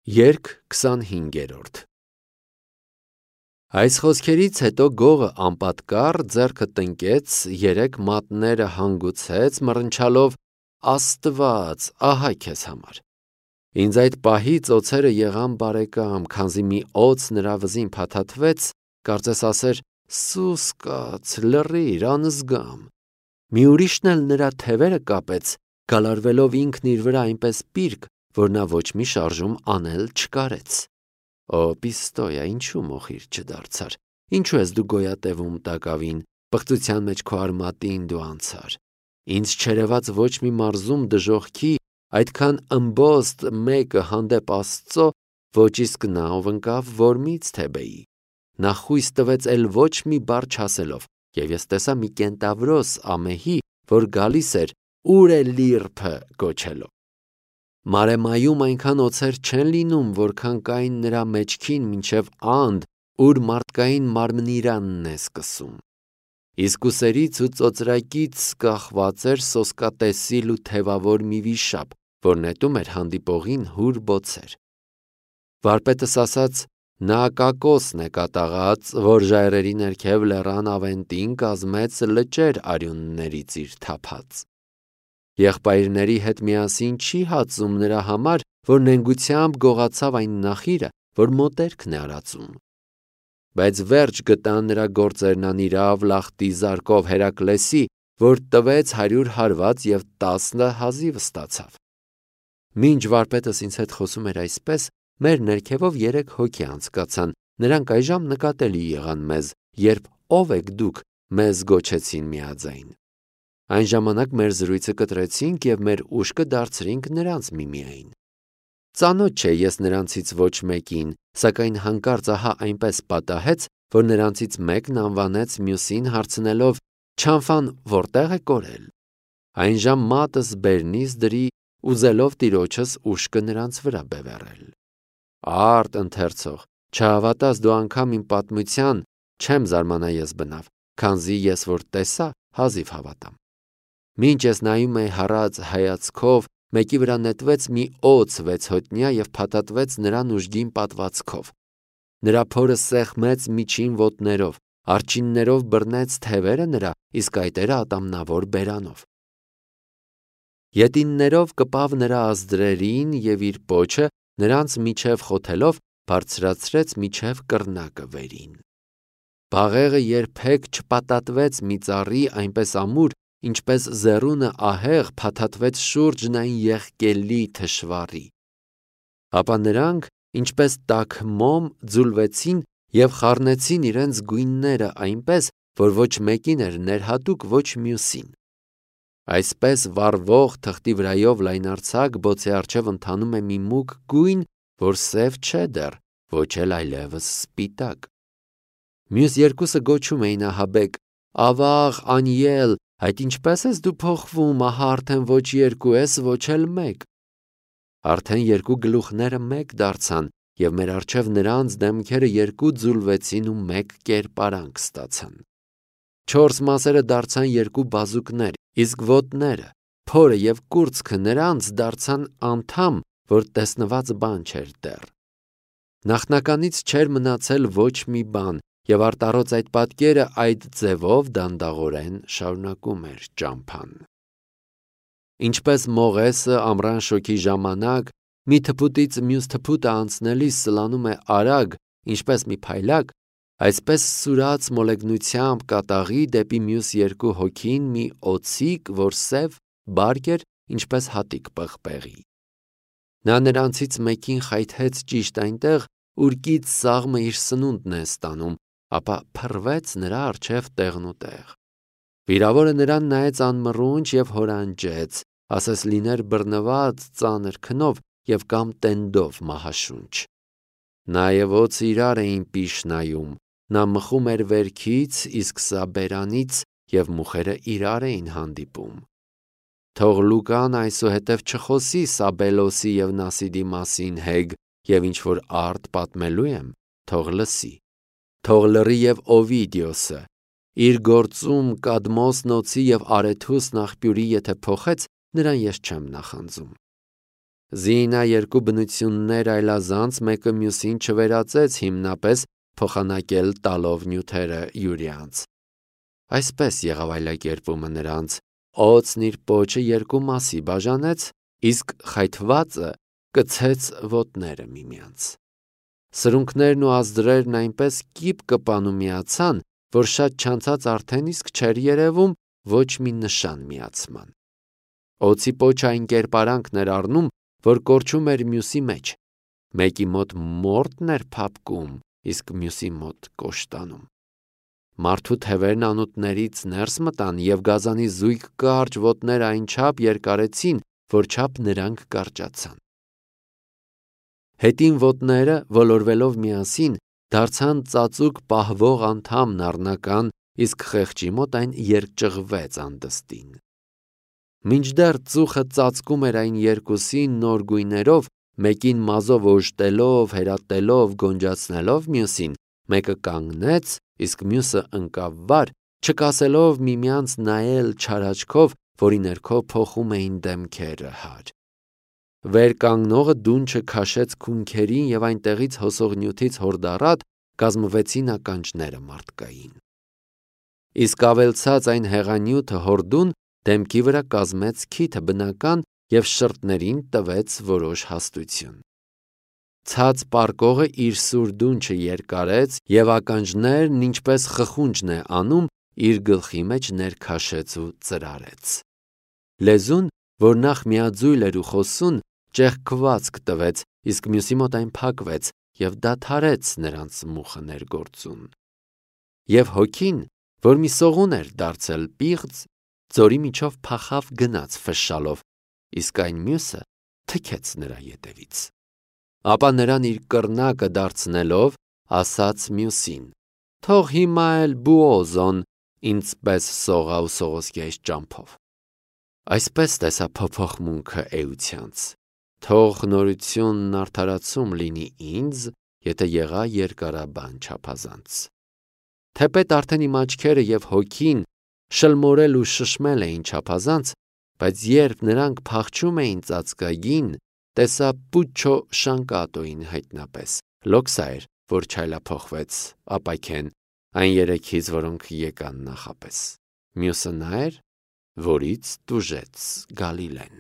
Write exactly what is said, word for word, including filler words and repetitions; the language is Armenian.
Երգ քսանհինգերորդ Այս խոսքերից հետո գողը անպատկառ ձեռքը տնկեց, երեք մատները հանգուցեց, մռնչալով Աստված, ահա քեզ համար։ Ինձ այդ պահից օձերը եղան բարեկամ, քանզի մի օձ նրա վզին փաթաթվեց, կարծես ասեր. «Սուս կաց, լռիր, անզգամ»։ Մի ուրիշն էլ նրա թևերը կապեց, գալարվելով ինքն իր վրա այնպես պիրկ, որ նա ոչ մի շարժում անել չկարեց։ Օ Պիստոյա, ինչու մոխիր չդարձար, ինչու ես դու գոյատևում տակավին, պղծության մեջ քո արմատին դու անցար։ Ինձ չերևաց ոչ մի մարզում դժոխքի, այդքան ըմբոստ մեկը հանդեպ Աստծո, ոչ իսկ նա, ով ընկավ Որմից Թեբեի։ Նա խույս տվեց էլ ոչ մի բառ չասելով, և ես տեսա մի կենտավրոս ամեհի, որ գալիս էր «Ո՞ւր է լիրփը» գոչելով։ Մարեմայում այնքան օձեր չեն լինում, որքան կային նրա մեջքին մինչև Анд, ուր մարդկային մարմնիրանն է սկսում։ Իսկ ուսերից ու ծոծրակից կախված էր սոսկատեսիլ ու թևավոր մի վիշապ, որ նետում էր հանդիպողին հուր բոցեր։ Վարպետս ասաց. նա Կակոսն է կատաղած, որ ժայռերի ներքև լեռան ավենտին կազմեց լճեր արյուններից իր թափած։ Եղբայրների հետ միասին չի հածում նրա համար, որ նենգությամբ գողացավ այն նախիրը, որ մոտերքն է արածում։ Բայց վերջ գտան նրա գործերն անիրավ լախտի զարկով Հերակլեսի, որ տվեց հարյուր հարված և տասը հազիվ ստացավ։ Մինչ վարպետս ինձ հետ խոսում էր այսպես, մեր ներքևով երեք հոգի անցկացան, նրանք այժմ նկատելի եղան մեզ, երբ ով եք դուք, մեզ գոչեցին միաձայն։ Այն ժամանակ մեր զրույցը կտրեցինք և մեր ուշքը դարձրինք նրանց միմիայն։ Ծանոթ չէ ես նրանցից ոչ մեկին, սակայն հանկարծ ահա այնպես պատահեց, որ նրանցից մեկն անվանեց մյուսին հարցնելով. «Չանֆան որտե՞ղ է կորել»։ Այնժամ մատս բերնից դրի, ուզելով տիրոջս ուշքը նրանց վրա բևեռել։ Արդ ընթերցող, չհավատաս դու անգամ իմ պատմության, չեմ զարմանա ես բնավ, քանզի ես որ տեսա, հազիվ հավատամ։ Մինչ ես նայում էի հառած հայացքով, մեկի վրա նետվեց մի օձ վեցհոտնյա և փաթաթվեց նրան ուժգին պատվածքով։ Նրա փորը սեղմեց միջին ոտներով, արջիններով բռնեց թևերը նրա, իսկ այտերը ատամնավոր բերանով։ Ետիններով կպավ նրա ազդրերին և իր պոչը նրանց միջև խոթելով բարձրացրեց միջև կռնակը վերին։ Բաղեղը երբեք չպատատվեց մի ծառի այնպես ամուր, ինչպես զեռունը ահեղ փաթաթվեց շուրջն այն եղկելի թշվառի։ Ապա նրանք, ինչպես տաք մոմ, ձուլվեցին և խառնեցին իրենց գույնները այնպես, որ ոչ մեկին էր ներհատուկ, ոչ մյուսին։ Այսպես վառվող թղթի վրայով լայնարձակ բոցի առջև ընթանում է մի մուգ գույն, որ սև չէ դեռ, ոչ էլ այլևս սպիտակ։ Մյուս երկուսը գոչում էին ահաբեկ. «Ավաղ, անիել, այդ ինչպե՞ս ես դու փոխվում, ահա արդեն ոչ երկու ես, ոչ էլ մեկ»։ Արդեն երկու գլուխները մեկ դարձան, և մեր առջև նրանց դեմքերը երկու ձուլվեցին ու մեկ կերպարանք ստացան։ Չորս մասերը դարձան երկու բազուկներ, իսկ ոտները, փորը և կուրծքը նրանց դարձան անդամ, որ տեսնված բան չէր դեռ։ Նախնականից չէր մնացել ոչ մի բան, և արտառոց այդ պատկերը այդ ձևով դանդաղորեն շարունակում էր ճամփան։ Ինչպես մողեսը ամռան շոգի ժամանակ մի թփուտից մյուս թփուտը անցնելիս սլանում է արագ, ինչպես մի փայլակ, այսպես սուրաց մոլեգնությամբ կատաղի դեպի մյուս երկու հոգին մի օձիք, որ սև, բարք էր, ինչպես հատիկ պղպեղի։ Նա նրանցից մեկին խայթեց ճիշտ այնտեղ, ուր կից սաղմը իր սնունդն է ստանում, ապա փռվեց նրա առջև տեղնուտեղ։ Վիրավորը նրան նայեց անմռունչ և հորանջեց, ասես լիներ բռնված ծանր քնով և կամ տենդով մահաշունչ։ Նա և օձը իրար էին պիշ նայում, նա մխում էր վերքից, իսկ սա բերանից, և մուխերը իրար էին հանդիպում։ Թող Լուկան այսուհետև չխոսի Սաբելոսի և Նասիդի մասին հեգ, և ինչ որ արդ պատմելու եմ, թող լսի։ Թող լռի և Օվիդիոսը, իր գործում Կադմոս նոցի և Արեթուս աղբյուրի եթե փոխեց, նրան ես չեմ նախանձում։ Զինա երկու բնություններ այլազանց մեկը մյուսին չվերածեց հիմնապես փոխանակել տալով նյութերը յուրյանց։ Այսպես եղավ այլակերպումը նրանց. օձն իր պոչը երկու մասի բաժանեց, իսկ խայթվածը կցեց ոտները միմյանց։ Սրունքներն ու ազդրերն այնպես կիպ կպան ու միացան, որ շատ չանցած արդեն իսկ չէր երևում ոչ մի նշան միացման։ Օձի պոչը այն կերպարանքն էր առնում, որ կորչում էր մյուսի մեջ։ Մեկի մոտ մորթն էր փափկում, իսկ մյուսի մոտ կոշտանում։ Մարդու թևերն անոթներից ներս մտան և գազանի զույգ կարճ ոտներ այնչափ երկարեցին, որ չափ նրանք կարճացան։ Հետին ոտները, ոլորվելով միասին, դարձան ծածուկ պահվող անդամն առնական, իսկ խեղճի մոտ այն երկճղվեց անդստին։ Մինչդեռ ծուխը ծածկում էր այն երկուսին նոր գույներով, մեկին մազով օժտելով, հերատելով, գոնջացնելով մյուսին, մեկը կանգնեց, իսկ մյուսը ընկավ վար, չկասելով միմյանց նայել չար աչքով, որի ներքո փոխում էին դեմքերը հար։ Վեր կանգնողը դունչը քաշեց քունքերին և այնտեղից հոսող նյութից հորդառատ կազմվեցին ականջները մարդկային։ Իսկ ավելցած այն հեղանյութը հորդուն դեմքի վրա կազմեց քիթը բնական և շրթներին տվեց որոշ հաստություն։ Ցած պառկողը իր սուր դունչը երկարեց և ականջներն, ինչպես խխունջն է անում, իր գլխի մեջ ներքաշեց ու ծրարեց։ Լեզուն, որ նախ միաձույլ էր ու խոսուն, ճեղքվածք տվեց, իսկ մյուսի մոտ այն փակվեց և դադարեց նրանց մուխը ներգործուն։ Եվ հոգին, որ մի սողուն էր դարձել պիղծ, ձորի միջով փախավ գնաց ֆշշալով, իսկ այն մյուսը թքեց նրա ետևից։ Ապա նրան իր կռնակը դարձնելով, ասաց մյուսին. «Թող հիմա էլ Բուոզոն ինձպես սողա ու սողոսկի այս ճամփով»։ Այսպես տեսա փոփոխմունքը էությանց։ Թող նորությունն արդարացում լինի ինձ, եթե եղա երկարաբան չափազանց։ Թեպետ արդեն իմ աչքերը և հոգին շլմորել ու շշմել էին չափազանց, բայց երբ նրանք փախչում էին ծածկագին, տեսա Պուչչո Շանկատոյին հայտնապես։ Լոքսա էր, որ չայլափոխվեց, ապաքեն, այն երեքից, որոնք եկան նախապես։ Մյուսը նա էր, որից տուժեց Գալիլեն։